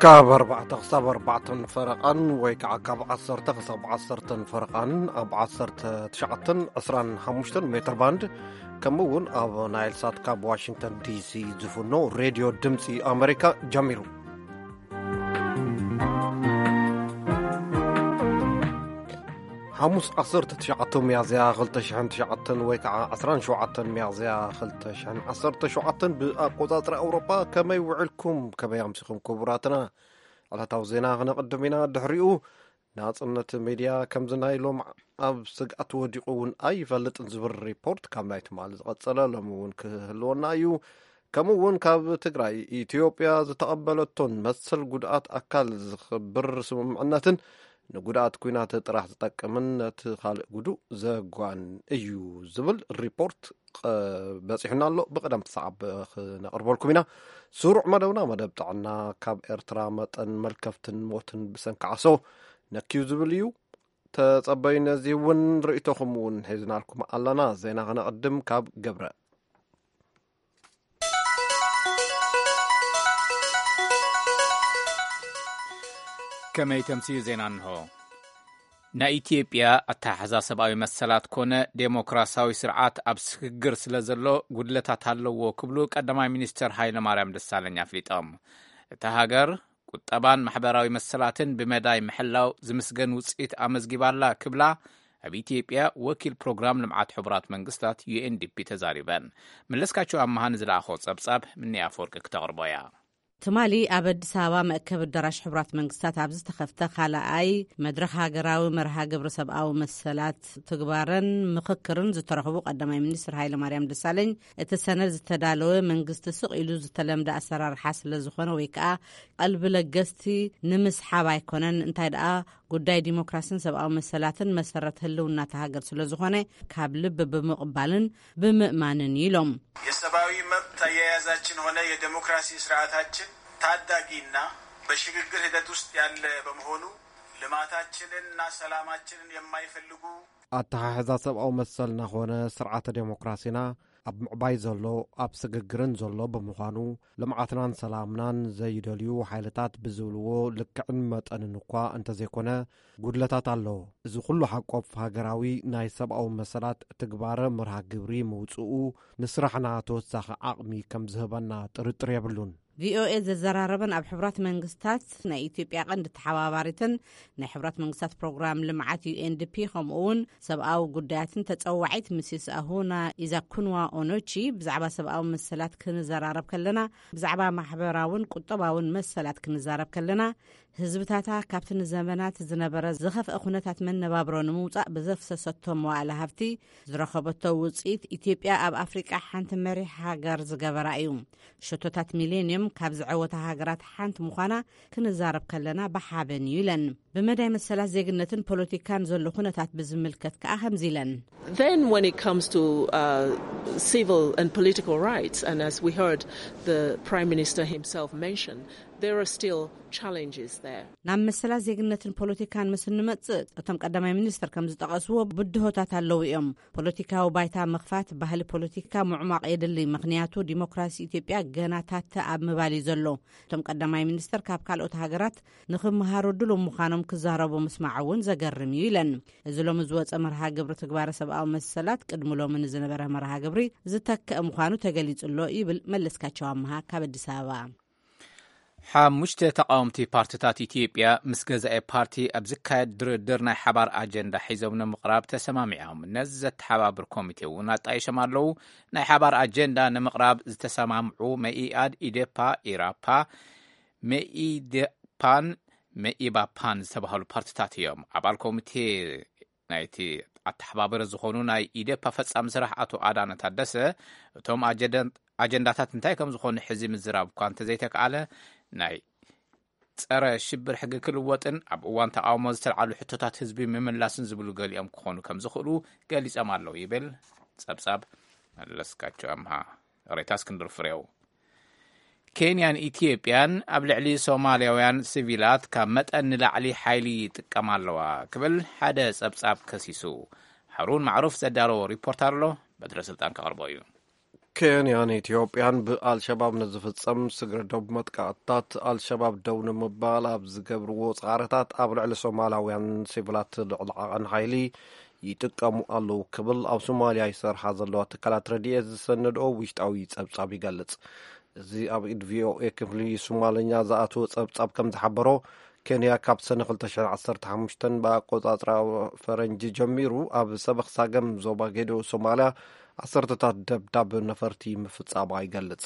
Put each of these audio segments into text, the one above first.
ካብ ኣርባዕተ ክሳብ ኣርባዕተን ፈረቓን ወይ ከዓ ካብ ዓሰርተ ክሳብ ዓሰርተን ፈረቓን ኣብ ዓሰርተ ትሽዓተን ዕስራን ሓሙሽተን ሜትር ባንድ፣ ከምኡ እውን ኣብ ናይል ሳት ካብ ዋሽንግተን ዲሲ ዝፍኖ ሬድዮ ድምፂ ኣሜሪካ ጀሚሩ። ሓሙስ ዓሰርተ ትሽዓተ ሚያዝያ ክልተ ሽሕን ትሽዓተን ወይ ከዓ ዕስራን ሸውዓተን ሚያዝያ ክልተ ሽሕን ዓሰርተ ሸውዓተን ብኣቆጻጽራ ኣውሮጳ። ከመይ ውዕልኩም? ከመይ ኣምሲኹም ክቡራትና? ዕለታዊ ዜና ክነቕድም ኢና። ድሕሪኡ ናጽነት ሚድያ ከምዚ ናይ ሎም ኣብ ስግኣት ወዲቑ እውን ኣይፈልጥን ዝብል ሪፖርት ካብ ናይ ትማሊ ዝቐጸለ ሎሚ እውን ክህልወና እዩ። ከምኡ እውን ካብ ትግራይ ኢትዮጵያ ዝተቐበለቶን መሰል ጉድኣት ኣካል ዝኽብር ስምምዕነትን ንጉድኣት ኲናት ጥራሕ ዝጠቅምን ነቲ ካልእ ጉዱእ ዘጓን እዩ ዝብል ሪፖርት ቐ-፣ በጺሑና ኣሎ። ብቕደም ሰዓብ ክነቕርበልኩም ኢና። ስሩዕ መደብና መደብ ጥዕና፣ ካብ ኤርትራ መጠን መልከፍትን ሞትን ብሰንኪ ዓሶ ነክዩ ዝብል እዩ። ተጸበዩ። ነዚ እውን ርእይቶኹም እውን ሒዝናልኩም ኣለና። ዜና ክነቕድም ካብ ገብረ። ከመይ ተምስዩ ዜና እንሆ። ናይ ኢትዮጵያ ኣተሓሕዛ ሰብኣዊ መሰላት ኮነ ዴሞክራሲያዊ ስርዓት ኣብ ስግግር ስለ ዘሎ ጉድለታት ኣለዎ ክብሉ ቀዳማይ ሚኒስትር ሃይለ ማርያም ደሳለኝ ኣፍሊጦም። እታ ሃገር ቁጠባን ማሕበራዊ መሰላትን ብመዳይ ምሕላው ዝምስገን ውፅኢት ኣመዝጊባላ ክብላ ኣብ ኢትዮጵያ ወኪል ፕሮግራም ልምዓት ሕቡራት መንግስታት ዩ ኤን ዲ ፒ ተዛሪበን። መለስካቸው ኣመሃ ንዝለኣኾ ጸብጻብ ምኒ ኣፈወርቂ ክተቕርቦ እያ። ትማሊ ኣብ ኣዲስ ኣበባ መእከብ ኣዳራሽ ሕቡራት መንግስታት ኣብ ዝተኸፍተ ካልኣይ መድረኽ ሃገራዊ መርሃ ግብሪ ሰብኣዊ መሰላት ትግባረን ምኽክርን ዝተረኽቡ ቀዳማይ ሚኒስትር ሃይለ ማርያም ደሳለኝ፣ እቲ ሰነድ ዝተዳለወ መንግስቲ ስቕ ኢሉ ዝተለምደ ኣሰራርሓ ስለ ዝኾነ ወይ ከዓ ቀልቢ ለገስቲ ንምስሓብ ኣይኮነን፣ እንታይ ደኣ ጉዳይ ዲሞክራስን ሰብኣዊ መሰላትን መሰረት ህልውና እታ ሃገር ስለ ዝኾነ ካብ ልቢ ብምቕባልን ብምእማንን ኢሎም። የሰብአዊ መብት አያያዛችን ሆነ የዴሞክራሲ ስርዓታችን ታዳጊና በሽግግር ሂደት ውስጥ ያለ በመሆኑ ልማታችንንና ሰላማችንን የማይፈልጉ ኣተሓሕዛ ሰብኣዊ መሰልና ኾነ ስርዓተ ዴሞክራሲና ኣብ ምዕባይ ዘሎ፣ ኣብ ስግግርን ዘሎ ብምዃኑ፣ ልምዓትናን ሰላምናን ዘይደልዩ ሓይልታት ብዝብልዎ ልክዕን መጠንን እኳ እንተዘይኮነ፣ ጉድለታት ኣሎ። እዚ ኩሉ ሓቆፍ ሃገራዊ ናይ ሰብኣዊ መሰላት ትግባረ መርሃ ግብሪ ምውፅኡ ንስራሕና ተወሳኺ ዓቕሚ ከም ዝህበና ጥርጥር የብሉን። ቪ ኦ ኤ ዘዘራረበን ኣብ ሕቡራት መንግስታት ናይ ኢትዮጵያ ቀንዲ ተሓባባሪትን ናይ ሕቡራት መንግስታት ፕሮግራም ልምዓት ዩ ኤን ዲ ፒ ከምኡ እውን ሰብኣዊ ጉዳያትን ተጸዋዒት ሚስስ ኣሁና ኢዛኩንዋ ኦኖቺ ብዛዕባ ሰብኣዊ መሰላት ክንዘራረብ ከለና፣ ብዛዕባ ማሕበራውን ቁጠባውን መሰላት ክንዛረብ ከለና፣ ህዝብታታ ካብቲ ንዘመናት ዝነበረ ዝኸፍአ ኩነታት መነባብሮ ንምውጻእ ብዘፍሰሰቶ መዋእለ ሃብቲ ዝረኸበቶ ውጽኢት፣ ኢትዮጵያ ኣብ ኣፍሪቃ ሓንቲ መሪሕ ሃገር ዝገበራ እዩ። ሸቶታት ሚሌንየም ካብ ዝዐወታ ሃገራት ሓንቲ ምዃና ክንዛረብ ከለና ብሓበን እዩ ኢለን። ብመዳይ መሰላት ዜግነትን ፖለቲካን ዘሎ ኩነታት ብዝምልከት ከኣ ከምዚ ኢለን። Then when it comes to uh, civil and political rights, and as we heard the Prime Minister himself mention, there are still challenges there. ናብ መሰላት ዜግነትን ፖለቲካን ምስ እንመጽእ፣ እቶም ቀዳማይ ሚኒስትር ከም ዝጠቐስዎ ብድሆታት ኣለዉ እዮም። ፖለቲካዊ ባይታ ምኽፋት፣ ባህሊ ፖለቲካ ምዕሟቕ የድሊ፣ ምኽንያቱ ዲሞክራሲ ኢትዮጵያ ገና ታተ ኣብ ምባል እዩ ዘሎ። እቶም ቀዳማይ ሚኒስትር ካብ ካልኦት ሃገራት ንኽመሃሩ ድሉው ምዃኖም ክዛረቡ ምስማዕ እውን ዘገርም እዩ ኢለን። እዚ ሎሚ ዝወፀ መርሃ ግብሪ ትግባረ ሰብኣዊ መሰላት ቅድሚ ሎሚ ንዝነበረ መርሃ ግብሪ ዝተክአ ምዃኑ ተገሊጹ ኣሎ ይብል መለስካቸው ኣምሃ ካብ ኣዲስ ኣበባ። ሓሙሽተ ተቃወምቲ ፓርቲታት ኢትዮጵያ ምስ ገዛኢ ፓርቲ ኣብ ዝካየድ ድርድር ናይ ሓባር ኣጀንዳ ሒዞም ንምቕራብ ተሰማሚዖም። ነዚ ዘተሓባብር ኮሚቴ እውን ኣጣይሾም ኣለዉ። ናይ ሓባር ኣጀንዳ ንምቕራብ ዝተሰማምዑ መኢኣድ፣ ኢዴፓ፣ ኢራፓ፣ መኢዴፓን መኢባፓን ዝተባህሉ ፓርቲታት እዮም። ኣባል ኮሚቴ ናይቲ ኣተሓባበረ ዝኾኑ ናይ ኢዴፓ ፈጻሚ ስራሕ ኣቶ ኣዳነ ታደሰ፣ እቶም ኣጀደን-፣ ኣጀንዳታት እንታይ ከም ዝኾኑ ሕዚ ምዝራብ እኳ እንተዘይተከኣለ፣ ናይ ጸረ ሽብር ሕጊ ክልወጥን ኣብ እዋን ተቃውሞ ዝተልዓሉ ሕቶታት ህዝቢ ምምላስን ዝብሉ ገሊኦም ክኾኑ ከም ዝኽእሉ ገሊጾም ኣለዉ ይብል ጸብጻብ መለስካቸው ኣምሃ። ሬታ እስክንድር ፍሬው። ኬንያን ኢትዮጵያን ኣብ ልዕሊ ሶማልያውያን ሲቪላት ካብ መጠን ንላዕሊ ሓይሊ ይጥቀማ ኣለዋ ክብል ሓደ ጸብጻብ ከሲሱ። ሃሩን ማዕሩፍ ዘዳለዎ ሪፖርት ኣሎ፣ በትረ ስልጣን ከቕርቦ እዩ። ኬንያን ኢትዮጵያን ብኣልሸባብ ንዝፍጸም ስግረ ዶብ መጥቃዕትታት ኣልሸባብ ደው ንምባል ኣብ ዝገብርዎ ጻዕርታት ኣብ ልዕሊ ሶማላውያን ሲቪላት ልዕሊ ዓቐን ሓይሊ ይጥቀሙ ኣለዉ ክብል ኣብ ሶማልያ ይሰርሓ ዘለዋ ትካላት ረድኤት ዝሰነድኦ ውሽጣዊ ጸብጻብ ይገልጽ። እዚ ኣብ ኢድ ቪኦኤ ክፍሊ ሶማልኛ ዝኣተወ ጸብጻብ ከም ዝሓበሮ፣ ኬንያ ካብ ሰነ ክልተ ሽሕን ዓሰርተ ሓሙሽተን ብኣቆጻጽራ ፈረንጂ ጀሚሩ ኣብ ሰበኽ ሳገም ዞባ ጌዶ ሶማልያ ዓሰርተታት ደብዳብ ነፈርቲ ምፍጻማ ይገልጽ።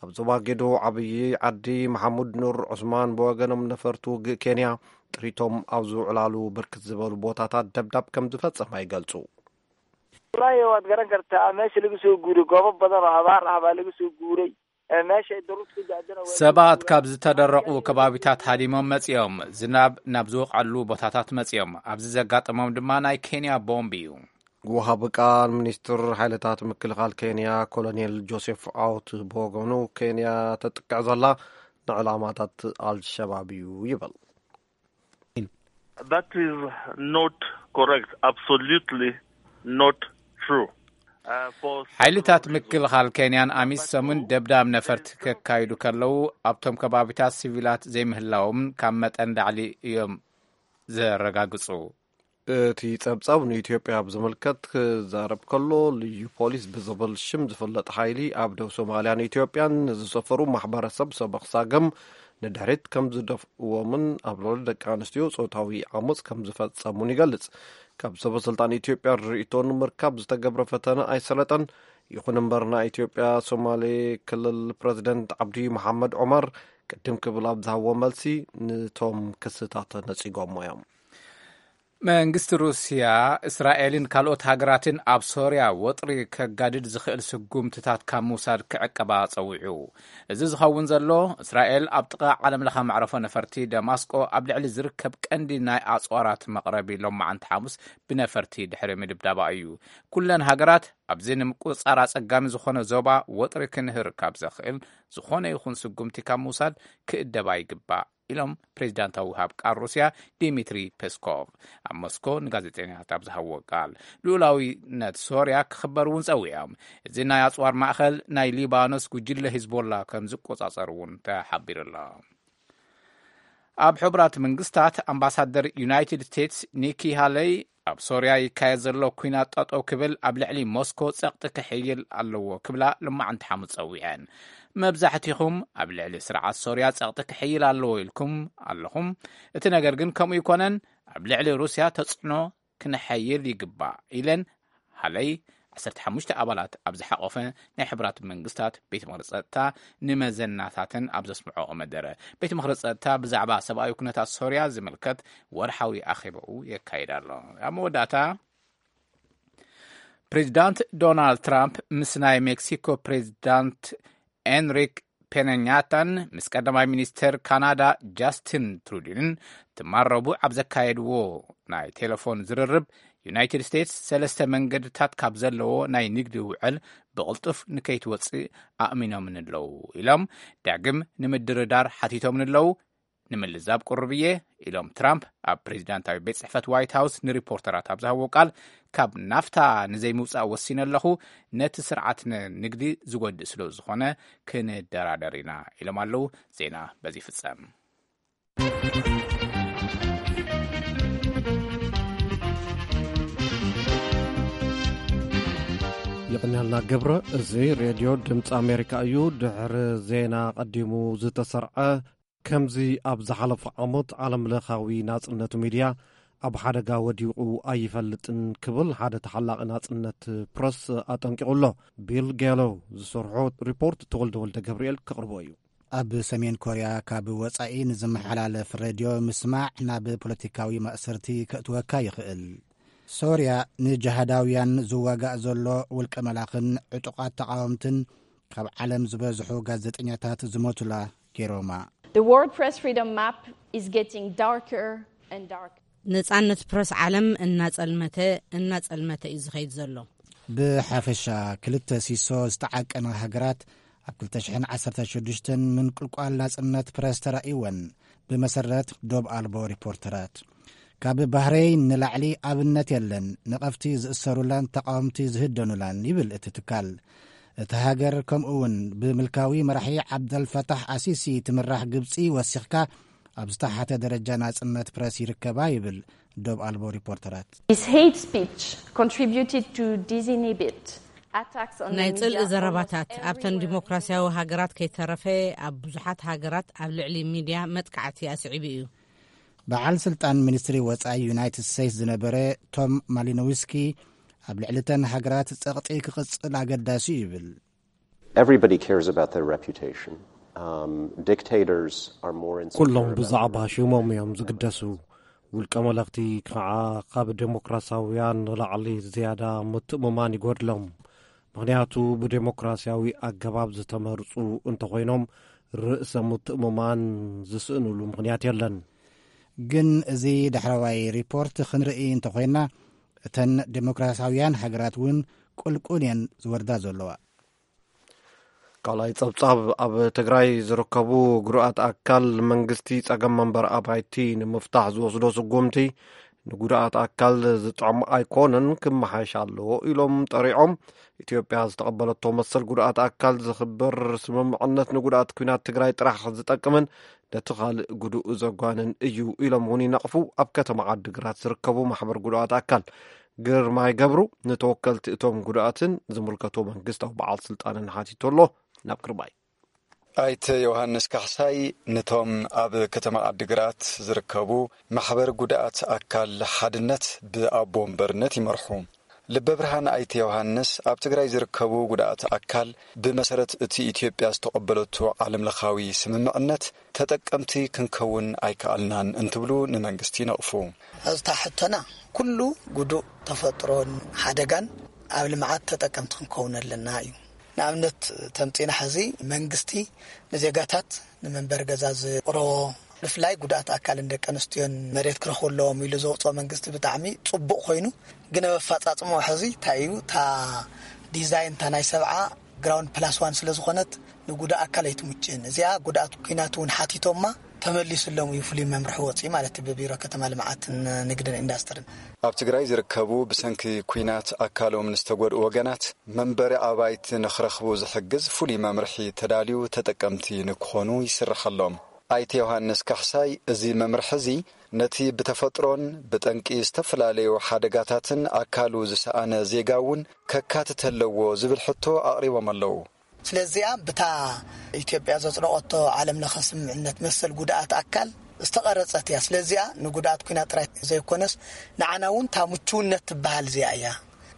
ኣብ ዞባ ጌዶ ዓብዪ ዓዲ መሓሙድ ኑር ዑስማን ብወገኖም፣ ነፈርቲ ውግእ ኬንያ ጥሪቶም ኣብ ዝውዕላሉ ብርክት ዝበሉ ቦታታት ደብዳብ ከም ዝፈጸማ ይገልጹ። Wallahi waad garan kartaa meesha lagu soo guuray goobo badan oo abaar ah baa lagu soo guuray. Meesha ay daruurtu ku da'dana waa ሰባት ካብ ዝተደረቑ ከባቢታት ሃዲሞም መጺኦም፣ ዝናብ ናብ ዝወቕዐሉ ቦታታት መጺኦም። ኣብዚ ዘጋጠሞም ድማ ናይ ኬንያ ቦምብ እዩ። ወሃቢ ቃል ሚኒስትር ሓይልታት ምክልኻል ኬንያ ኮሎኔል ጆሴፍ ኣውት ብወገኑ፣ ኬንያ ተጥቅዕ ዘላ ንዕላማታት ኣልሸባብ እዩ ይብል። That is not correct. Absolutely not true. Uh, for ሓይልታት ምክልኻል ኬንያን ኣሚሶምን ደብዳብ ነፈርቲ ከካይዱ ከለዉ ኣብቶም ከባቢታት ሲቪላት ዘይምህላዎም ካብ መጠን ላዕሊ እዮም ዘረጋግጹ። እቲ ጸብጻብ ንኢትዮጵያ ኣብ ዝምልከት ክዛረብ ከሎ፣ ልዩ ፖሊስ ብዝብል ሽም ዝፍለጥ ሓይሊ ኣብ ደቡብ ሶማልያን ኢትዮጵያን ንዝሰፈሩ ማሕበረሰብ ሰበኽ ሳገም ንድሕሪት ከም ዝደፍእዎምን ኣብ ልዕሊ ደቂ ኣንስትዮ ጾታዊ ዓመጽ ከም ዝፈጸሙን ይገልጽ። ካብ ሰበ ስልጣን ኢትዮጵያ ርእይቶ ንምርካብ ዝተገብረ ፈተነ ኣይሰለጠን። ይኹን እምበር፣ ናይ ኢትዮጵያ ሶማሌ ክልል ፕረዚደንት ዓብዲ መሓመድ ዑመር ቅድም ክብል ኣብ ዝሃብዎ መልሲ፣ ንቶም ክስታት ነጺጎሞ እዮም። መንግስቲ ሩስያ፣ እስራኤልን ካልኦት ሃገራትን ኣብ ሶርያ ወጥሪ ከጋድድ ዝኽእል ስጉምትታት ካብ ምውሳድ ክዕቀባ ጸዊዑ። እዚ ዝኸውን ዘሎ፣ እስራኤል ኣብ ጥቓ ዓለምለኸ መዕረፎ ነፈርቲ ደማስቆ ኣብ ልዕሊ ዝርከብ ቀንዲ ናይ ኣጽዋራት መቕረቢ ሎማዓንቲ ሓሙስ ብነፈርቲ ድሕሪ ምድብዳባ እዩ። ኩለን ሃገራት ኣብዚ ንምቁጽጻር ኣጸጋሚ ዝኾነ ዞባ ወጥሪ ክንህር ካብ ዘኽእል ዝኾነ ይኹን ስጉምቲ ካብ ምውሳድ ክእደባ ይግባእ ኢሎም ፕሬዚዳንታዊ ወሃብ ቃል ሩስያ ዲሚትሪ ፔስኮቭ ኣብ ሞስኮ ንጋዜጠኛታት ኣብ ዝሃብዎ ቃል። ልኡላዊነት ሶርያ ክኽበር እውን ጸዊዖም። እዚ ናይ ኣጽዋር ማእኸል ናይ ሊባኖስ ጉጅለ ሂዝቦላ ከም ዝቆጻጸር እውን ተሓቢሩ ኣሎ። ኣብ ሕቡራት መንግስታት ኣምባሳደር ዩናይትድ ስቴትስ ኒኪ ሃለይ ኣብ ሶርያ ይካየድ ዘሎ ኲናት ጠጠው ክብል ኣብ ልዕሊ ሞስኮ ጸቕጢ ክሕይል ኣለዎ ክብላ ልማዓንቲ ሓሙስ ጸዊዐን። መብዛሕትኹም ኣብ ልዕሊ ስርዓት ሶርያ ጸቕጢ ክሕይል ኣለዎ ኢልኩም ኣለኹም። እቲ ነገር ግን ከምኡ ይኮነን፣ ኣብ ልዕሊ ሩስያ ተጽዕኖ ክነሐይል ይግባእ ኢለን ሃለይ ዓሰርተ ሓሙሽተ ኣባላት ኣብ ዝሓቆፈ ናይ ሕቡራት መንግስታት ቤት ምኽሪ ጸጥታ ንመዘናታተን ኣብ ዘስምዖኦ መደረ። ቤት ምኽሪ ጸጥታ ብዛዕባ ሰብኣዊ ኩነታት ሶርያ ዝምልከት ወርሓዊ ኣኼባኡ የካይድ ኣሎ። ኣብ መወዳእታ፣ ፕሬዚዳንት ዶናልድ ትራምፕ ምስ ናይ ሜክሲኮ ፕሬዚዳንት ኤንሪክ ፔነኛታን ምስ ቀዳማይ ሚኒስተር ካናዳ ጃስቲን ትሩዲንን ትማል ረቡዕ ኣብ ዘካየድዎ ናይ ቴሌፎን ዝርርብ፣ ዩናይትድ ስቴትስ ሰለስተ መንገድታት ካብ ዘለዎ ናይ ንግዲ ውዕል ብቕልጡፍ ንከይትወጽእ ኣእሚኖምን ኣለዉ ኢሎም ዳግም ንምድርዳር ሓቲቶምን ኣለዉ። ንምልዛብ ቅሩብ እየ ኢሎም ትራምፕ ኣብ ፕሬዚዳንታዊ ቤት ጽሕፈት ዋይት ሃውስ ንሪፖርተራት ኣብ ዝሃብዎ ቃል፣ ካብ ናፍታ ንዘይምውጻእ ወሲነ ኣለኹ፣ ነቲ ስርዓት ንግዲ ዝጎድእ ስለ ዝኾነ ክንደራደር ኢና ኢሎም ኣለዉ። ዜና በዚ ይፍጸም። ይቕንያልና ገብረ። እዚ ሬድዮ ድምፂ ኣሜሪካ እዩ። ድሕሪ ዜና ቀዲሙ ዝተሰርዐ፣ ከምዚ ኣብ ዝሓለፈ ዓመት ዓለምለኻዊ ናጽነት ሚድያ ኣብ ሓደጋ ወዲቑ ኣይፈልጥን ክብል ሓደ ተሓላቒ ናጽነት ፕረስ ኣጠንቂቑ ኣሎ። ቢል ጌሎ ዝሰርሖ ሪፖርት ተወልደ ወልደ ገብርኤል ከቕርቦ እዩ። ኣብ ሰሜን ኮርያ ካብ ወጻኢ ንዝመሓላለፍ ሬድዮ ምስማዕ ናብ ፖለቲካዊ ማእሰርቲ ከእትወካ ይኽእል። ሶርያ ንጅሃዳውያን ዝዋጋእ ዘሎ ውልቀ መላኽን ዕጡቓት ተቓወምትን ካብ ዓለም ዝበዝሑ ጋዜጠኛታት ዝሞቱላ ገይሮማ። The World Press Freedom Map is getting darker and darker. ነጻነት ፕረስ ዓለም እናጸልመተ እናጸልመተ እዩ ዝኸይድ ዘሎ። ብሓፈሻ ክልተ ሲሶ ዝተዓቀና ሃገራት ኣብ ክልተ ሽሕን ዓሰርተ ሽዱሽተን ምንቁልቋል ናጽነት ፕረስ ተራእይወን። ብመሰረት ዶብ ኣልቦ ሪፖርተራት፣ ካብ ባህረይን ንላዕሊ ኣብነት የለን ነቐፍቲ ዝእሰሩላን ተቓወምቲ ዝህደኑላን ይብል እቲ ትካል። እቲ ሃገር ከምኡ እውን ብምልካዊ መራሒ ዓብደልፈታሕ ኣሲሲ ትምራሕ ግብጺ ወሲኽካ ኣብ ዝተሓተ ደረጃ ናጽነት ፕረስ ይርከባ ይብል ዶብ ኣልቦ ሪፖርተራት። His hate speech contributed to dizzying bit attacks on ናይ ጽልኢ ዘረባታት ኣብተን ዲሞክራሲያዊ ሃገራት ከይተረፈ ኣብ ብዙሓት ሃገራት ኣብ ልዕሊ ሚድያ መጥቃዕቲ ኣስዒቡ እዩ። በዓል ስልጣን ሚኒስትሪ ወጻኢ ዩናይትድ ስቴትስ ዝነበረ ቶም ማሊኖውስኪ ኣብ ልዕሊ ተን ሃገራት ጸቕጢ ክቕጽል ኣገዳሲ ይብል። Everybody cares about their reputation. Um, dictators are more insecure. ኩሎም ብዛዕባ ሽሞም እዮም ዝግደሱ። ውልቀ መለኽቲ ከዓ ካብ ዴሞክራሲያውያን ንላዕሊ ዝያዳ ምትእምማን ይጎድሎም። ምኽንያቱ ብዴሞክራሲያዊ ኣገባብ ዝተመርጹ እንተኾይኖም ርእሰ ምትእምማን ዝስእኑሉ ምኽንያት የለን። ግን እዚ ዳሕረዋይ ሪፖርት ክንርኢ እንተኾይና እተን ዴሞክራሲያውያን ሃገራት እውን ቁልቁል እየን ዝወርዳ ዘለዋ። ካልኣይ ጸብጻብ። ኣብ ትግራይ ዝርከቡ ጉዱኣት ኣካል መንግስቲ ጸገም መንበር ኣባይቲ ንምፍታሕ ዝወስዶ ስጉምቲ ንጉዱኣት ኣካል ዝጥዕም ኣይኮነን፣ ክመሓሽ ኣለዎ ኢሎም ጠሪዖም። ኢትዮጵያ ዝተቐበለቶ መሰል ጉዱኣት ኣካል ዝኽብር ስምምዕነት ንጉዱኣት ኲናት ትግራይ ጥራሕ ዝጠቅምን ነቲ ካልእ ጉዱእ ዘጓንን እዩ ኢሎም እውን ይነቕፉ። ኣብ ከተማ ዓዲግራት ዝርከቡ ማሕበር ጉዱኣት ኣካል ግርማይ ገብሩ ንተወከልቲ እቶም ጉዱኣትን ዝምልከቶ መንግስታዊ በዓል ስልጣንን ሓቲቱ ኣሎ። ናብ ግርማይ። ኣይተ ዮሃንስ ካሕሳይ ንቶም ኣብ ከተማ ዓዲግራት ዝርከቡ ማሕበር ጉድኣት ኣካል ሓድነት ብኣቦ ወንበርነት ይመርሑ። ልበ ብርሃን ኣይተ ዮሃንስ ኣብ ትግራይ ዝርከቡ ጉድኣት ኣካል ብመሰረት እቲ ኢትዮጵያ ዝተቐበለቶ ዓለምለኻዊ ስምምዕነት ተጠቀምቲ ክንከውን ኣይከኣልናን እንትብሉ ንመንግስቲ ይነቕፉ። እታ ሕቶና ኩሉ ጉዱእ ተፈጥሮን ሓደጋን ኣብ ልምዓት ተጠቀምቲ ክንከውን ኣለና እዩ። ንኣብነት ተምፂና ሕዚ መንግስቲ ንዜጋታት ንመንበሪ ገዛ ዝቕረቦ ብፍላይ ጉድኣት ኣካልን ደቂ ኣንስትዮን መሬት ክረኽቡ ኣለዎም ኢሉ ዘውፅኦ መንግስቲ ብጣዕሚ ፅቡቕ ኮይኑ ግን ኣብ ኣፈፃፅምኡ ሕዚ እንታይ እዩ እታ ዲዛይን እታ ናይ ሰብዓ ግራውንድ ፕላስ ዋን ስለ ዝኾነት ንጉዳእ ኣካል ኣይትምችን። እዚኣ ጉድኣት ኲናት እውን ሓቲቶማ ተመሊሱሎም እዩ ፍሉይ መምርሒ ወፂኡ ማለት እዩ ብቢሮ ከተማ ልምዓትን ንግድን ኢንዳስትርን። ኣብ ትግራይ ዝርከቡ ብሰንኪ ኲናት ኣካሎም ንዝተጎድኡ ወገናት መንበሪ ኣባይቲ ንኽረኽቡ ዝሕግዝ ፍሉይ መምርሒ ተዳልዩ ተጠቀምቲ ንክኾኑ ይስርሐሎም። ኣይተ ዮሃንስ ካሕሳይ እዚ መምርሒ እዚ ነቲ ብተፈጥሮን ብጠንቂ ዝተፈላለዩ ሓደጋታትን ኣካሉ ዝሰኣነ ዜጋ እውን ከካትት ኣለዎ ዝብል ሕቶ ኣቕሪቦም ኣለዉ። ስለዚኣ ብታ ኢትዮጵያ ዘጽደቐቶ ዓለም ለኸ ስምምዕነት መሰል ጉድኣት ኣካል ዝተቐረጸት እያ። ስለዚኣ ንጉድኣት ኲናት ጥራይ ዘይኮነስ ንዓና እውን እታ ምቹውነት ትበሃል እዚኣ እያ።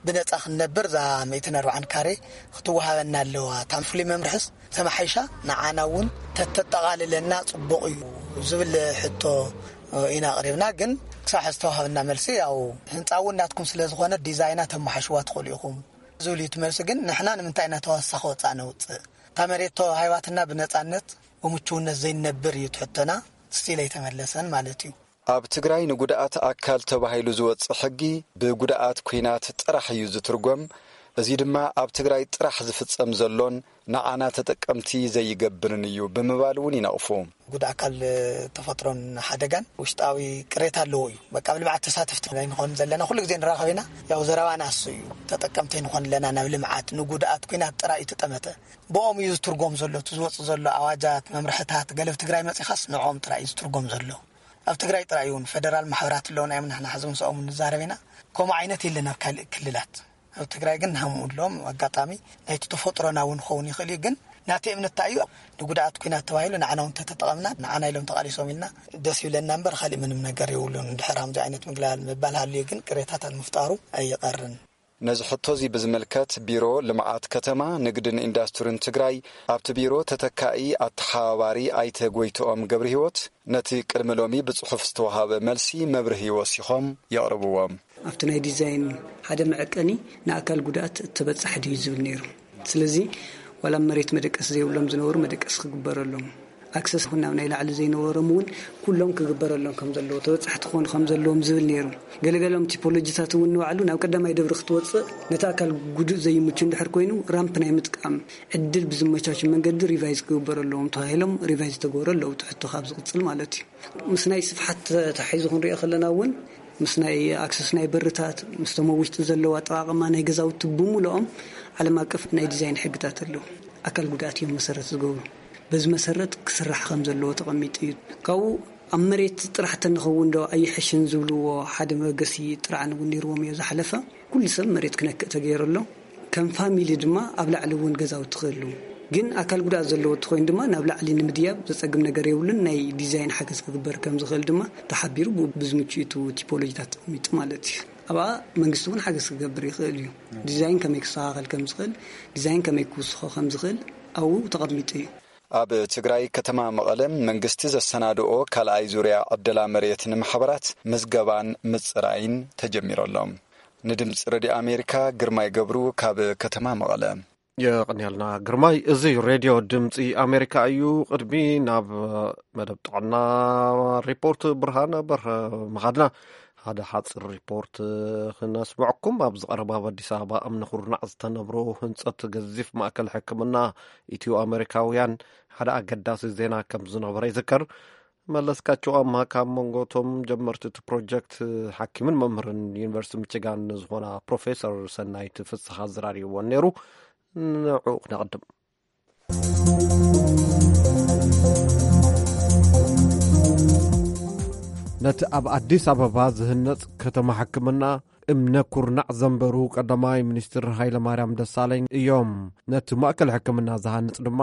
ብነጻ ክንነብር እዛ ሚእትን ኣርባዓን ካሬ ክትወሃበና ኣለዋ። እታ ፍሉይ መምርሕስ ተማሓይሻ ንዓና እውን ተተጠቓልለና ጽቡቕ እዩ ዝብል ሕቶ ኢና ኣቕሪብና። ግን ክሳብ ሕዚ ዝተዋሃበና መልሲ ያው ህንጻ እውን ናትኩም ስለ ዝኾነ ዲዛይና ተመሓሽዋ ትኽእሉ ኢኹም ዝብል እዩ እቲ መልሲ። ግን ንሕና ንምንታይ ኢና ተዋሳኺ ወጻእ ነውጽእ? እታ መሬት ተዋሂባትና ብነጻነት ብምቹውነት ዘይንነብር እዩ ትሕቶና። ስቲል ኣይተመለሰን ማለት እዩ። ኣብ ትግራይ ንጉድኣት ኣካል ተባሂሉ ዝወጽእ ሕጊ ብጉድኣት ኲናት ጥራሕ እዩ ዝትርጎም። እዚ ድማ ኣብ ትግራይ ጥራሕ ዝፍጸም ዘሎን ንዓና ተጠቀምቲ ዘይገብርን እዩ ብምባል እውን ይነቕፉ። ጉድኣት ኣካል ተፈጥሮን ሓደጋን ውሽጣዊ ቅሬታ ኣለዎ እዩ። በቃ ኣብ ልምዓት ተሳተፍቲ ኣይንኾን ዘለና። ኩሉ ግዜ ንራኸብ ኢና። ያው ዘረባና እሱ እዩ። ተጠቀምቲ ኣይንኾን ኣለና ናብ ልምዓት። ንጉድኣት ኲናት ጥራይ እዩ ተጠመተ። ብኦም እዩ ዝትርጎም ዘሎ። እቲ ዝወጽእ ዘሎ ኣዋጃት፣ መምርሕታት፣ ገለ ኣብ ትግራይ መጺኻስ ንዕኦም ጥራይ እዩ ዝትርጎም ዘሎ። ኣብ ትግራይ ጥራይ እውን ፈደራል ማሕበራት ኣለውና እዮም። ንሕና ሕዚ ምስኦም ንዛረብ ኢና። ከምኡ ዓይነት የለን ኣብ ካልእ ክልላት። ኣብ ትግራይ ግን ንሃምኡ ኣለዎም። ኣጋጣሚ ናይቲ ተፈጥሮና እውን ክኸውን ይኽእል እዩ። ግን ናተይ እምነት እንታይ እዩ፣ ንጉድኣት ኲናት ተባሂሉ ንዓና እውን ተተጠቐምና፣ ንዓና ኢሎም ተቓሊሶም ኢልና ደስ ይብለና እምበር፣ ካሊእ ምንም ነገር የብሉን። ድሕር ከምዚ ዓይነት ምግላል ምባል ሃልዩ ግን ቅሬታታት ምፍጣሩ ኣይቐርን። ነዚ ሕቶ እዚ ብዝምልከት ቢሮ ልምዓት ከተማ፣ ንግድን ኢንዳስትሪን ትግራይ ኣብቲ ቢሮ ተተካኢ ኣተሓባባሪ ኣይተ ጎይትኦም ገብረሂወት ነቲ ቅድሚ ሎሚ ብጽሑፍ ዝተዋሃበ መልሲ መብርሂ ወሲኾም የቕርብዎም። ኣብቲ ናይ ዲዛይን ሓደ መዐቀኒ ንኣካል ጉድኣት ተበጻሒ ድዩ ዝብል ነይሩ። ስለዚ ዋላ መሬት መደቀሲ ዘይብሎም ዝነበሩ መደቀሲ ክግበረሎም፣ ኣክሰስ ይኹን ናብ ናይ ላዕሊ ዘይነበሮም እውን ኩሎም ክግበረሎም ከም ዘለዎ፣ ተበጻሕቲ ክኾኑ ከም ዘለዎም ዝብል ነይሩ። ገለገሎም ቲፖሎጂታት እውን ንባዕሉ ናብ ቀዳማይ ደብሪ ክትወፅእ ነቲ ኣካል ጉዱእ ዘይምቹ እንድሕር ኮይኑ ራምፕ ናይ ምጥቃም ዕድል ብዝመቻቹ መንገዲ ሪቫይዝ ክግበሩ ኣለዎም ተባሂሎም ሪቫይዝ ዝተገበሩ ኣለዉ። እቲ ሕቶ ካብ ዝቕፅል ማለት እዩ። ምስ ናይ ስፍሓት ተታሒዙ ክንሪኦ ከለና እውን ምስ ናይ ኣክሰስ ናይ በርታት ምስቶም ኣብ ውሽጢ ዘለዉ ኣጠቓቕማ ናይ ገዛውቲ ብምልኦም ዓለም ኣቀፍ ናይ ዲዛይን ሕግታት ኣለዉ። ኣካል ጉድኣት እዮም መሰረት ዝገብሩ። በዚ መሰረት ክስራሕ ከም ዘለዎ ተቐሚጡ እዩ። ካብኡ ኣብ መሬት ጥራሕ ተንኸውን ዶ ኣይሕሽን ዝብልዎ ሓደ መበገሲ ጥርዓን እውን ነይርዎም እዩ ዝሓለፈ። ኩሉ ሰብ መሬት ክነክእ ተገይሩ ኣሎ። ከም ፋሚሊ ድማ ኣብ ላዕሊ እውን ገዛውቲ ክህልዉ፣ ግን ኣካል ጉድኣት ዘለዎ እንተኾይኑ ድማ ናብ ላዕሊ ንምድያብ ዘጸግም ነገር የብሉን። ናይ ዲዛይን ሓገዝ ክግበር ከም ዝኽእል ድማ ተሓቢሩ፣ ብኡ ብዝምችኡ ቲፖሎጂታት ተቐሚጡ ማለት እዩ። ኣብኣ መንግስቲ እውን ሓገዝ ክገብር ይኽእል እዩ። ዲዛይን ከመይ ክስተኻኸል ከም ዝኽእል፣ ዲዛይን ከመይ ክውስኾ ከም ዝኽእል ኣብኡ ተቐሚጡ እዩ። ኣብ ትግራይ ከተማ መቐለ መንግስቲ ዘሰናድኦ ካልኣይ ዙርያ ዕደላ መሬት ንማሕበራት ምዝገባን ምፅራይን ተጀሚሩ ኣሎ። ንድምፂ ረድዮ ኣሜሪካ ግርማይ ገብሩ ካብ ከተማ መቐለ። የቐንየልና ግርማይ። እዚ ሬድዮ ድምፂ ኣሜሪካ እዩ። ቅድሚ ናብ መደብ ጥዕና ሪፖርት ብርሃነ በርሀ ምኻድና፣ ሓደ ሓፂር ሪፖርት ክነስምዐኩም። ኣብዚ ቀረባ ኣብ ኣዲስ ኣበባ እምኒ ኩርናዕ ዝተነብሮ ህንፀት ገዚፍ ማእከል ሕክምና ኢትዮ ኣሜሪካውያን ሓደ ኣገዳሲ ዜና ከም ዝነበረ ይዝከር። መለስካቸው ኣምሃ ካብ መንጎ እቶም ጀመርቲ እቲ ፕሮጀክት ሓኪምን መምህርን ዩኒቨርሲቲ ሚችጋን ዝኾና ፕሮፌሰር ሰናይት ፍስሓ ኣዘራሪብዎን ነይሩ። ንዕኡ ክነቕድም። ነቲ ኣብ ኣዲስ ኣበባ ዝህነጽ ከተማ ሕክምና እምነ ኩርናዕ ዘንበሩ ቀዳማይ ሚኒስትር ሃይለማርያም ደሳለኝ እዮም። ነቲ ማእከል ሕክምና ዝሃንጽ ድማ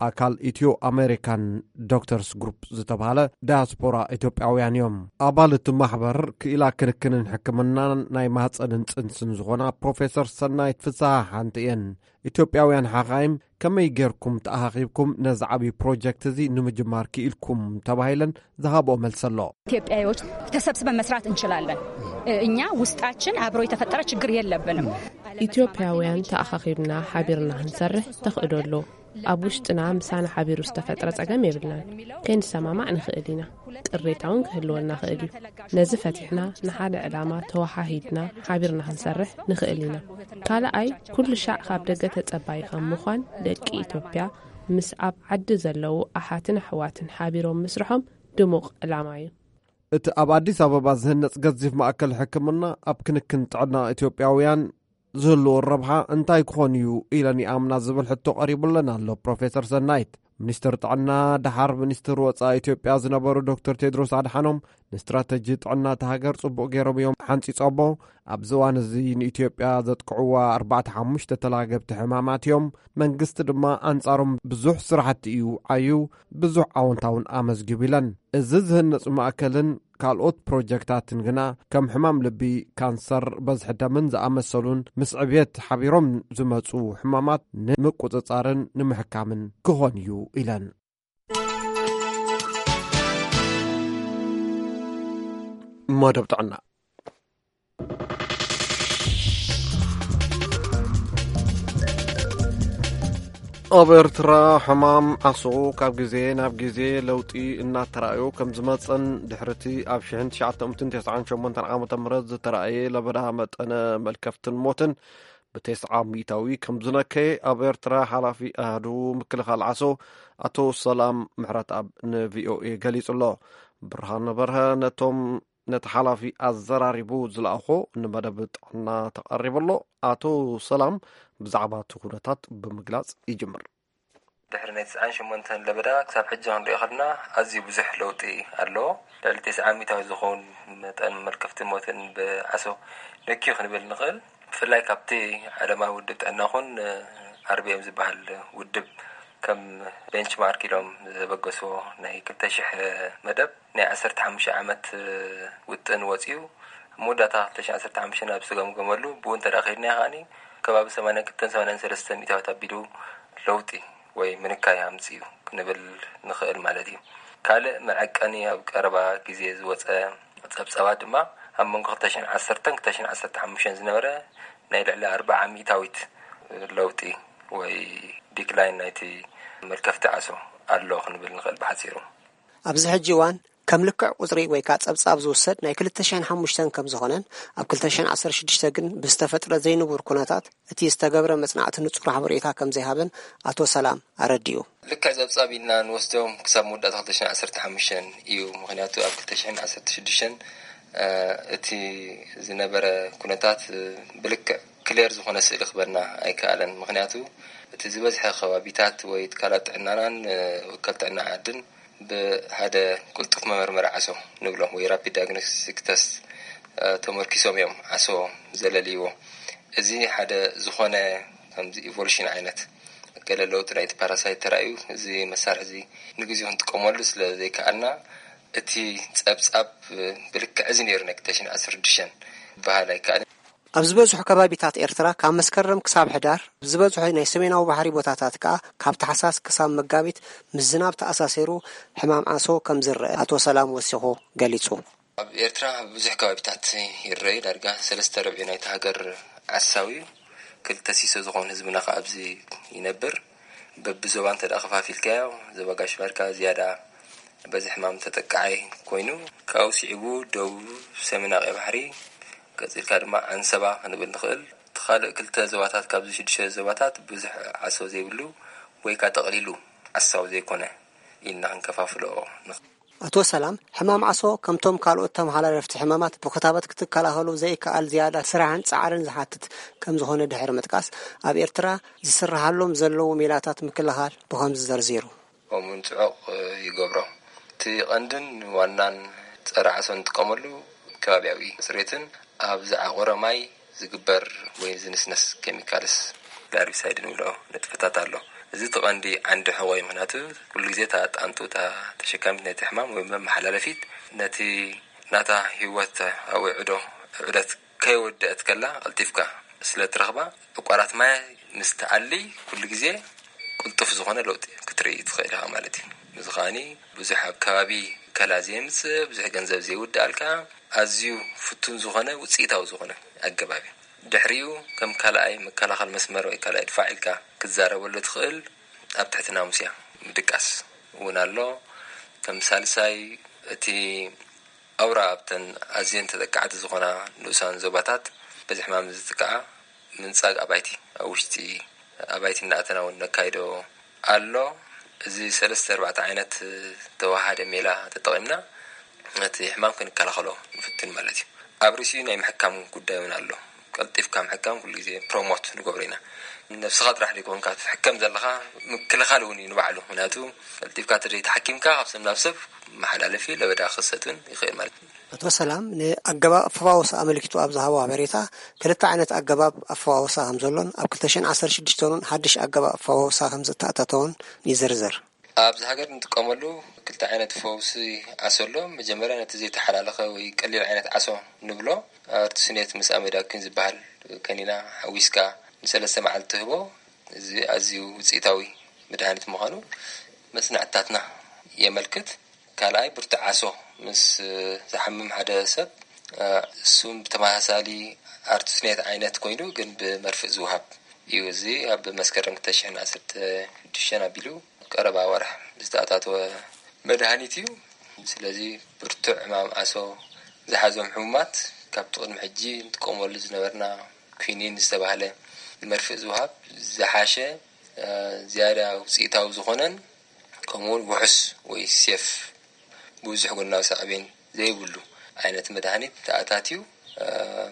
ኣካል ኢትዮ ኣሜሪካን ዶክተርስ ግሩፕ ዝተባህለ ዳያስፖራ ኢትዮጵያውያን እዮም። ኣባል እቲ ማሕበር ክኢላ ክንክንን ሕክምናን ናይ ማህፀንን ፅንስን ዝኾና ፕሮፌሰር ሰናይት ፍስሃ ሓንቲ እየን። ኢትዮጵያውያን ሓኻይም ከመይ ጌርኩም ተኣኻኺብኩም ነዚ ዓብዪ ፕሮጀክት እዚ ንምጅማር ክኢልኩም ተባሂለን ዝሃብኦ መልሲ ኣሎ። ኢትዮጵያዎች ተሰብስበን መስራት እንችላለን። እኛ ውስጣችን አብሮ የተፈጠረ ችግር የለብንም። ኢትዮጵያውያን ተኣኻኺብና ሓቢርና ክንሰርሕ ተኽእዶ ኣሎ። ኣብ ውሽጥና ምሳና ሓቢሩ ዝተፈጥረ ጸገም የብልናን። ከይንሰማማዕ ንኽእል ኢና። ቅሬታ እውን ክህልወና ክእል እዩ። ነዚ ፈቲሕና ንሓደ ዕላማ ተወሃሂድና ሓቢርና ክንሰርሕ ንኽእል ኢና። ካልኣይ፣ ኩሉ ሻዕ ካብ ደገ ተጸባይ ካብ ምዃን ደቂ ኢትዮጵያ ምስ ኣብ ዓዲ ዘለዉ ኣሓትን ኣሕዋትን ሓቢሮም ምስርሖም ድሙቕ ዕላማ እዩ። እቲ ኣብ ኣዲስ ኣበባ ዝህነጽ ገዚፍ ማእከል ሕክምና ኣብ ክንክን ጥዕና ኢትዮጵያውያን ዝህልዎ ረብሓ እንታይ ክኾን እዩ ኢለን ይኣምና ዝብል ሕቶ ቀሪቡለን ኣሎ ፕሮፌሰር ሰናይት። ሚኒስትር ጥዕና ደሓር ሚኒስትር ወጻኢ ኢትዮጵያ ዝነበሩ ዶክተር ቴድሮስ ኣድሓኖም ንስትራተጂ ጥዕና እታ ሃገር ጽቡቕ ገይሮም እዮም ሓንጺጾሞ። ኣብዚ እዋን እዚ ንኢትዮጵያ ዘጥቅዕዋ ኣርባዕተ ሓሙሽተ ተላገብቲ ሕማማት እዮም። መንግስቲ ድማ ኣንጻሮም ብዙሕ ስራሕቲ እዩ ዓዩ፣ ብዙሕ ኣወንታውን ኣመዝጊቡ ኢለን። እዚ ዝህነጽ ማእከልን ካልኦት ፕሮጀክታትን ግና ከም ሕማም ልቢ፣ ካንሰር፣ በዝሒ ደምን ዝኣመሰሉን ምስ ዕብየት ሓቢሮም ዝመጹ ሕማማት ንምቁጽጻርን ንምሕካምን ክኾን እዩ ኢለን። መደብ ጥዕና። ኣብ ኤርትራ ሕማም ዓሶ ካብ ግዜ ናብ ግዜ ለውጢ እናተራእዮ ከም ዝመጸን ድሕሪ እቲ ኣብ ሽሕን ትሽዓተ ሚእትን ተስዓን ሸሞንተን ዓመተ ምህረት ዝተራእየ ለበዳ መጠነ መልከፍትን ሞትን ብተስዓ ሚእታዊ ከም ዝነከየ ኣብ ኤርትራ ሓላፊ ኣሃዱ ምክልኻል ዓሶ ኣቶ ሰላም ምሕረትኣብ ንቪኦኤ ገሊጹ ኣሎ። ብርሃነ በርሀ ነቶም ነቲ ሓላፊ ኣዘራሪቡ ዝለኣኾ ንመደብ ጥዕና ተቐሪቡ ኣሎ። ኣቶ ሰላም ብዛዕባ እቲ ኩነታት ብምግላጽ ይጅምር። ድሕሪ ናይ ትስዓን ሸሞንተን ለበዳ ክሳብ ሕጂ ክንሪኦ ከለና ኣዝዩ ብዙሕ ለውጢ ኣሎ። ልዕሊ ተስዓ ሚእታዊ ዝኸውን መጠን መልከፍትን ሞትን ብዓሶ ነክዩ ክንብል ንኽእል። ብፍላይ ካብቲ ዓለማዊ ውድብ ጥዕና ኹን ኣርቢኤም ዝበሃል ውድብ ከም ቤንችማርክ ኢሎም ዘበገስዎ ናይ ክልተ ሽሕ መደብ ናይ ዓሰርተ ሓሙሽተ ዓመት ውጥን ወጺኡ፣ ኣብ መወዳእታ ክልተ ሽሕ ዓሰርተ ሓሙሽተ ናብ ዝተገምገመሉ፣ ብኡ እንተ ደኣ ከይድና ከኣኒ ከባቢ ሰማንያን ክልተን ሰማንያን ሰለስተን ሚእታዊት ኣቢሉ ለውጢ ወይ ምንካይ ኣምጺኡ ክንብል ንኽእል ማለት እዩ። ካልእ መዐቀኒ ኣብ ቀረባ ግዜ ዝወጸ ጸብጻባት ድማ ኣብ መንጎ ክልተ ሽሕን ዓሰርተን ክልተ ሽሕን ዓሰርተ ሓሙሽተን ዝነበረ ናይ ልዕሊ ኣርብዓ ሚእታዊት ለውጢ ወይ ዲክላይን ናይቲ መልከፍቲ ዓሶ ኣሎ ክንብል ንኽእል ብሓጺሩ። ኣብዚ ሕጂ እዋን ከም ልክዕ ቁጽሪ ወይ ከኣ ጸብጻብ ዝውሰድ ናይ ክልተ ሽሕን ሓሙሽተን ከም ዝኾነን ኣብ ክልተ ሽሕን ዓሰርተ ሽዱሽተ ግን ብዝተፈጥረ ዘይንቡር ኩነታት እቲ ዝተገብረ መጽናዕቲ ንጹር ሓበሬታ ከም ዘይሃበን ኣቶ ሰላም ኣረዲኡ። ልክዕ ጸብጻብ ኢልና ንወስዶም ክሳብ መወዳእታ ክልተ ሽሕን ዓሰርተ ሓሙሽተን እዩ። ምኽንያቱ ኣብ ክልተ ሽሕን ዓሰርተ ሽዱሽተን፣ እ፣ እቲ ዝነበረ ኩነታት፣ እ፣ ብልክዕ ክሌር ዝኾነ ስእሊ ክበና ኣይከኣለን። ምኽንያቱ እቲ ዝበዝሐ ከባቢታት ወይ ትካላት ጥዕናናን፣ እ፣ ወከል ጥዕና ዓድን ብሓደ ቅልጡፍ መመርመሪ ዓሶ ንብሎ ወይ ራፒድ ዳያግኖስቲክ ተስት፣ እ፣ ተመርኪሶም እዮም ዓሶ ዘለልይዎ። እዚ ሓደ ዝኾነ ከምዚ ኢቮሉሽን ዓይነት ገለ ለውጢ ናይቲ ፓራሳይት ተራእዩ፣ እዚ መሳርሒ እዚ ንግዜኡ ክንጥቀመሉ ስለ ዘይከኣልና፣ እቲ ጸብጻብ ብልክዕ እዚ ነይሩ ናይ ክልተ ሽሕን ዓሰርተ ሽዱሽተን ክበሃል ኣይከኣልን። ኣብ ዝበዝሑ ከባቢታት ኤርትራ ካብ መስከረም ክሳብ ሕዳር፣ ዝበዝሑ ናይ ሰሜናዊ ባሕሪ ቦታታት ከኣ ካብ ታሕሳስ ክሳብ መጋቢት ምስ ዝናብ ተኣሳሲሩ ሕማም ዓሶ ከም ዝረአ ኣቶ ሰላም ወሲኹ ገሊጹ። ኣብ ኤርትራ ኣብ ብዙሕ ከባቢታት ይረኣዩ። ዳርጋ ሰለስተ ርብዒ ናይቲ ሃገር ዓሳዊ እዩ። ክልተ ሲሶ ዝኾን ህዝብና ከኣ ኣብዚ ይነብር። በብዞባ እንተ ደኣ ከፋፊልካዮ፣ ዞባ ጋሽ ባርካ ዝያዳ በዚ ሕማም ተጠቃዓይ ኮይኑ፣ ካብኡ ስዒቡ ደቡብ ሰሜን ኣቕያ ባሕሪ፣ ቀጺልካ ድማ ዓንሰባ ክንብል ንኽእል። እቲ ካልእ ክልተ ዞባታት ካብዚ ሽዱሽተ ዞባታት ብዙሕ ዓሶ ዘይብሉ ወይ ከኣ ጠቕሊሉ ዓሳዊ ዘይኮነ ኢልና ክንከፋፍሎ ንኽእል። ኣቶ ሰላም፣ ሕማም ዓሶ ከምቶም ካልኦት ተመሓላለፍቲ ሕማማት ብክታበት ክትከላኸሉ ዘይከኣል ዝያዳ ስራሕን ጻዕርን ዝሓትት ከም ዝኾነ ድሕሪ ምጥቃስ፣ ኣብ ኤርትራ ዝስርሓሎም ዘለዉ ሜላታት ምክልኻል ብኸምዚ ዘርዚሩ። ከምኡውን ጽዑቕ ይገብሮ። እቲ ቀንድን ዋናን ጸረ ዓሶ እንጥቀመሉ ከባብያዊ ጽሬትን ኣብ ዝዓቖረ ማይ ዝግበር ወይ ዝንስነስ ኬሚካልስ ላርቢሳይድ ንብሎ ንጥፈታት ኣሎ። እዚ እቲ ቀንዲ ዓንዲ ሕቖ እዩ። ምኽንያቱ ኩሉ ግዜ እታ ጣንጡ፣ እታ ተሸካሚት ናይቲ ሕማም ወይ መመሓላለፊት ነቲ ናታ ህይወት ኣብ ውዕዶ፣ ውዕደት ከይወደአት ከላ ቀልጢፍካ ስለ ትረኽባ፣ ዕቋራት ማይ ምስ ትኣሊ ኩሉ ግዜ ቅልጡፍ ዝኾነ ለውጢ ክትርኢ ትኽእል ኢኻ ማለት እዩ። እዚ ከኣኒ ብዙሕ ኣብ ከባቢ ከላ ዘየምጽእ፣ ብዙሕ ገንዘብ ዘይውድኣልካ፣ ኣዝዩ ፍቱን ዝኾነ፣ ውጽኢታዊ ዝኾነ ኣገባብ እዩ። ድሕሪኡ ከም ካልኣይ መከላኸል መስመር ወይ ካልኣይ ድፋዕ ኢልካ ክትዛረበሉ ትኽእል፣ ኣብ ትሕቲ ናሙስያ ምድቃስ እውን ኣሎ። ከም ሳልሳይ፣ እቲ ኣውራ ኣብተን ኣዝየን ተጠቃዕቲ ዝኾና ንኡሳን ዞባታት በዚ ሕማም ዝጥቃዓ ምንጻግ ኣባይቲ፣ ኣብ ውሽጢ ኣባይቲ እናኣተና እውን ነካይዶ ኣሎ። እዚ ሰለስተ ኣርባዕተ ዓይነት ተወሃደ ሜላ ተጠቒምና ነቲ ሕማም ክንከላኸሎ ንፍትን ማለት እዩ። ኣብ ርእሲኡ ናይ ምሕካም ጉዳይ እውን ኣሎ። ቀልጢፍካ ምሕካም ኩሉ ግዜ ፕሮሞት ንገብሮ ኢና። ነብስኻ ጥራሕ ዘይኮንካ ትሕከም ዘለኻ፣ ምክልኻል እውን እዩ ንባዕሉ። ምክንያቱ ቀልጢፍካ ተዘይተሓኪምካ ካብ ሰብ ናብ ሰብ መሓላለፊ ለበዳ ክኸሰት እውን ይኽእል ማለት እዩ። ኣቶ ሰላም ንኣገባብ ኣፈዋውሳ ኣመልኪቱ ኣብ ዝሃቦ ሓበሬታ፣ ክልተ ዓይነት ኣገባብ ኣፈዋውሳ ከም ዘሎን ኣብ ክልተ ሽሕን ዓሰርተ ሽዱሽተን እውን ሓድሽ ኣገባብ ኣፈዋውሳ ከም ዝተኣታተወን ይዝርዝር። ኣብዚ ሃገር እንጥቀመሉ ክልተ ዓይነት ፈውሲ ዓሶ ኣሎ። መጀመርያ ነቲ ዘይተሓላለኸ ወይ ቀሊል ዓይነት ዓሶ ንብሎ፣ ኣርቲስኔት ምስ ኣሜዳኩን ዝበሃል ከኒና ሓዊስካ ንሰለስተ መዓልቲ ትህቦ። እዚ ኣዝዩ ውፅኢታዊ መድሃኒት ምዃኑ መጽናዕትታትና የመልክት። ካልኣይ ብርቱዕ ዓሶ ምስ ዝሓምም ሓደ ሰብ፣ እሱም ብተመሳሳሊ ኣርቲስኔት ዓይነት ኮይኑ ግን ብመርፍእ ዝወሃብ እዩ። እዚ ኣብ መስከረም ክልተ ሽሕን ዓሰርተ ሽዱሽተን ኣቢሉ ቀረባ ወርሒ ዝተኣታተወ መድሃኒት እዩ። ስለዚ ብርቱዕ ሕማም ዓሶ ዝሓዞም ሕሙማት ካብቲ ቅድሚ ሕጂ ንጥቀመሉ ዝነበርና ኲኒን ዝተባህለ መርፍእ ዝወሃብ ዝሓሸ፣ እ፣ ዝያዳ ውፅኢታዊ ዝኾነን ከምኡውን ውሑስ ወይ ሴፍ ብዙሕ ጎናዊ ሳዕቤን ዘይብሉ ዓይነት መድሃኒት ተኣታትዩ፣ እ፣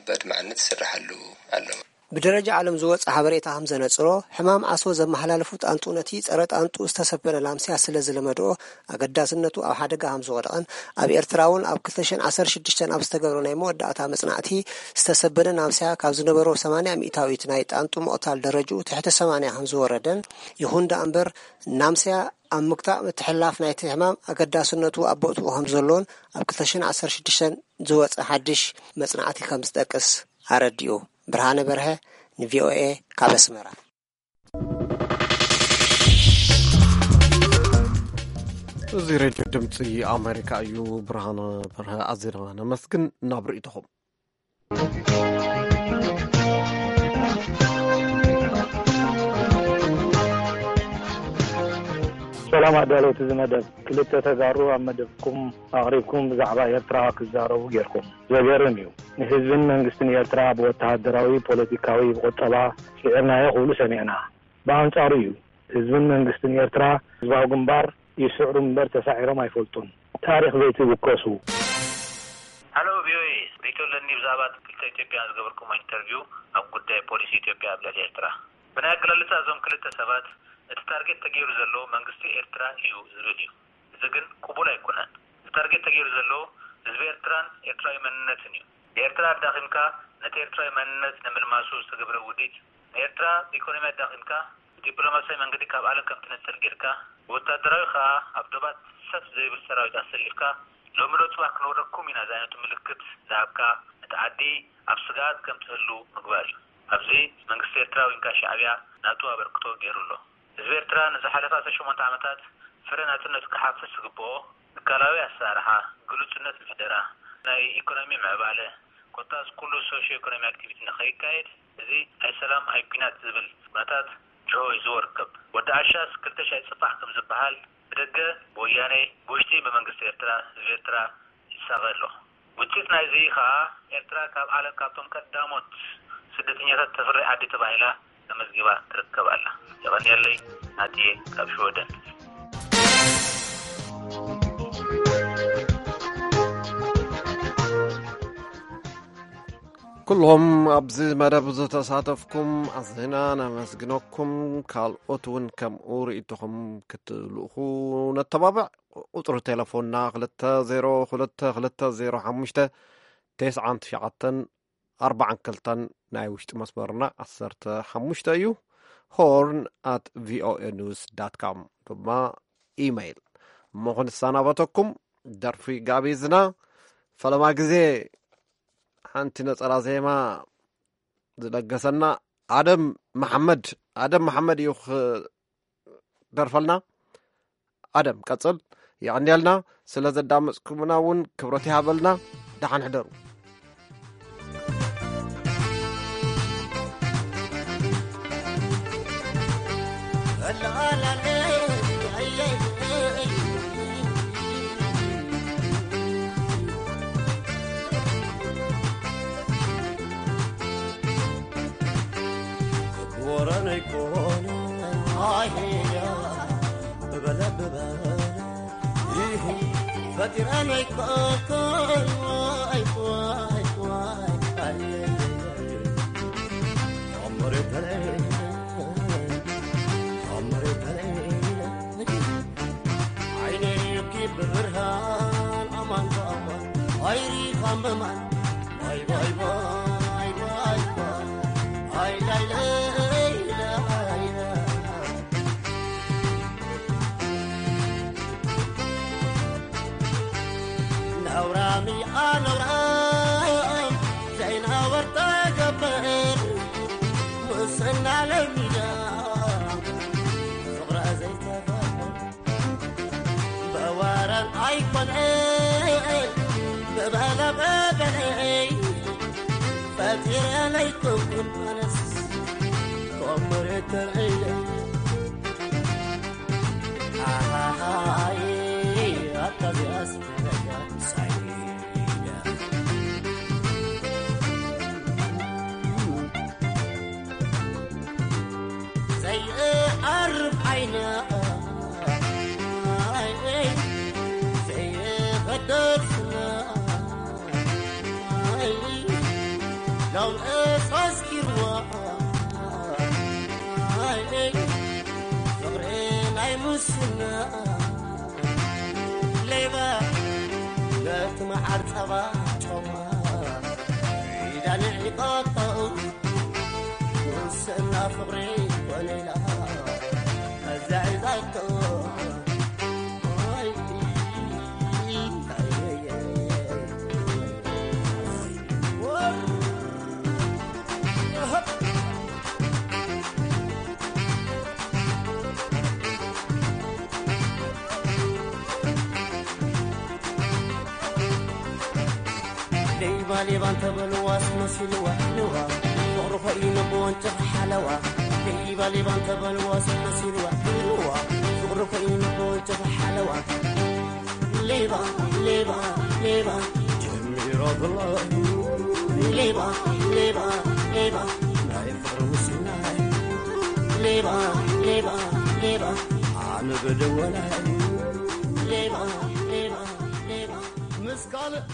በድማዕነት ይስርሓሉ ኣሎ። ብደረጃ ዓለም ዝወፀ ሓበሬታ ከም ዘነፅሮ፣ ሕማም ዓሶ ዘመሓላለፉ ጣንጡ ነቲ ፀረ ጣንጡ ዝተሰበነ ላምስያ ስለ ዝለመድኦ ኣገዳስነቱ ኣብ ሓደጋ ከም ዝወደቐን፣ ኣብ ኤርትራ እውን ኣብ ክልተ ሽሕን ዓሰርተ ሽዱሽተን ኣብ ዝተገብረ ናይ መወዳእታ መጽናዕቲ ዝተሰበነ ላምስያ ካብ ዝነበሮ ሰማንያ ሚእታዊት ናይ ጣንጡ ምቕታል ደረጅኡ ትሕቲ ሰማንያ ከም ዝወረደን፣ ይኹን ደኣ እምበር ላምስያ ኣብ ምግታእ ምትሕልላፍ ናይቲ ሕማም ኣገዳስነቱ ኣብ ቦትኡ ከም ዘሎን ኣብ ክልተ ሽሕን ዓሰርተ ሽዱሽተን ዝወጸ ሓድሽ መጽናዕቲ ከም ዝጠቅስ ኣረዲኡ። ብርሃነ በርሀ ንቪኦኤ ካብ ኣስመራ። እዚ ሬድዮ ድምፂ ኣሜሪካ እዩ። ብርሃነ በርሀ ኣዚና ነመስግን። ናብ ርእይቶኹም። ሰላም ኣዳለውቲ እዚ መደብ። ክልተ ተጋሩ ኣብ መደብኩም ኣቕሪብኩም ብዛዕባ ኤርትራ ክዛረቡ ጌርኩም። ዘገርም እዩ። ንህዝብን መንግስትን ኤርትራ ብወተሃደራዊ፣ ፖለቲካዊ፣ ብቁጠባ ስዒርናዮ ክብሉ ሰሚዕና። ብኣንጻሩ እዩ፣ ህዝብን መንግስትን ኤርትራ ህዝባዊ ግንባር ይስዕሩ እምበር ተሳዒሮም ኣይፈልጡን። ታሪኽ ዘይትውከሱ። ሃሎ ቪኦኤ፣ ሪቶ ኣለኒ። ብዛዕባ ክልተ ኢትዮጵያ ዝገበርኩሞ ኢንተርቪው ኣብ ጉዳይ ፖሊሲ ኢትዮጵያ ኣብ ልዕሊ ኤርትራ። ብናይ ኣገላልጻ እዞም ክልተ ሰባት እቲ ታርጌት ተገይሩ ዘሎ መንግስቲ ኤርትራ እዩ ዝብል እዩ። እዚ ግን ቅቡል ኣይኮነን። እቲ ታርጌት ተገይሩ ዘሎ ህዝቢ ኤርትራን ኤርትራዊ መንነትን እዩ። ንኤርትራ ኣዳኺምካ ነቲ ኤርትራዊ መንነት ንምልማሱ ዝተገብረ ውዲት፣ ንኤርትራ ብኢኮኖሚ ኣዳኺምካ ብዲፕሎማሲያዊ መንገዲ ካብ ዓለም ከም ትነጽል ጌርካ፣ ብወታደራዊ ከኣ ኣብ ዶባት ሰፍ ዘይብል ሰራዊት ኣሰሊፍካ፣ ሎሚ ዶ ጽባሕ ክንወረኩም ኢና ዝዓይነቱ ምልክት ዝሃብካ፣ ነቲ ዓዲ ኣብ ስግኣት ከም ትህሉ ምግባር እዩ። ኣብዚ መንግስቲ ኤርትራ ወይንካ ሻዕብያ ናቱ ኣበርክቶ ገይሩ ኣሎ። ህዝቢ ኤርትራ ንዝሓለፈ ዓሰርተ ሸሞንተ ዓመታት ፍረ ናጽነቱ ክሓፍስ ዝግብኦ፣ ትካላዊ ኣሰራርሓ፣ ግሉጽነት ምሕደራ፣ ናይ ኢኮኖሚ ምዕባለ፣ ኮታስ ኩሉ ሶሽዮ ኢኮኖሚ ኣክቲቪቲ ንኸይካየድ፣ እዚ ኣይ ሰላም ኣይ ኲናት ዝብል ኩነታት ጅሆ ሒዝዎ ይርከብ። ወዲ ዓሻስ ክልተ ሻይ ጽባሕ ከም ዝበሃል፣ ብደገ ብወያኔ፣ ብውሽጢ ብመንግስቲ ኤርትራ፣ ህዝቢ ኤርትራ ይሳቐ ኣሎ። ውጽኢት ናይዚ ከኣ፣ ኤርትራ ካብ ዓለም ካብቶም ቀዳሞት ስደተኛታት ተፍሪ ዓዲ ተባሂላ ተመዝጊባ ትርከብ ኣላ። የቐንየለይ፣ ናጽየ ካብ ሽወደን። ኩሎም ኣብዚ መደብ ዝተሳተፍኩም ኣዝና ነመስግነኩም። ካልኦት እውን ከምኡ ርእይቶኹም ክትልእኹ ነተባብዕ። ቁጽሪ ቴሌፎንና ክልተ ዜሮ ክልተ ክልተ ዜሮ ሓሙሽተ ተስዓን ትሽዓተን ኣርባዓን ክልተን፣ ናይ ውሽጢ መስመርና ዓሰርተ ሓሙሽተ እዩ። ሆርን ኣት ቪኦኤ ኒውስ ዳት ካም ድማ ኢመይል። እሞ ክንሰናበተኩም ደርፊ ጋቢዝና፣ ፈለማ ግዜ ሓንቲ ነጸላ ዜማ ዝለገሰና ኣደም መሓመድ፣ ኣደም መሓመድ እዩ ክደርፈልና። ኣደም ቀጽል፣ የቐንየልና። ስለ ዘዳመጽኩምና እውን ክብረት ይሃበልና። ደሓን ሕደሩ። ወረነይ ኮነ ኣይሄዳ ብበለ ብበለ ይህ ፈጢረነይ ኮነ ዋይ ዋይ ዋይ ኣየ ኣመሬተለይ ኣመሬተለይ ዓይነይኪ ብብርሃን ኣማን ብኣማን ኣይሪኻም ብማን ባይ ባይ ባይ ባይ ባይ ኣይ ላይ ለይ ለይ ነውራም እያ ነውራም ዘይነወር ተገብር ሙስና ለሚዳ ፍቕራ ዘይተፈቅር ብወረን ኣይኮነን ብበለበበለይ ፈጢረ ለይኮንኩን ኣነስ ኮምሬተር እየ ኣሃሃይ ኣታ ዚኣስ ዘይዓርብ ዓይና ዘይኸደር ስና ሎም እሳስኪርዋ ፍቕሪ ናይ ሙስና ሌባ ነቲ መዓር ጸባ ጮማ ኢዳ ንዒቃቶ ሙስና ፍቕሪ ኮነ ኢላ ኣዛዒዛቶ ሌባ ሌባ እንተበልዋስ መሲልዋ ልዋ ፍቕሪ ኮይኑ ብወንጭፍ ሓለዋ ሌባ ሌባ እንተበልዋስ መሲልዋ ልዋ ፍቕሪ ኮይኑ ብወንጭፍ ሓለዋ ሌባ ሌባ ሌባ ጀሚሮ ብሎ ሌባ ሌባ ሌባ ናይ ፍቕሪ ውስናይ ሌባ ሌባ ሌባ ኣነ በደወላይ ሌባ ሌባ ሌባ ምስ ካልእ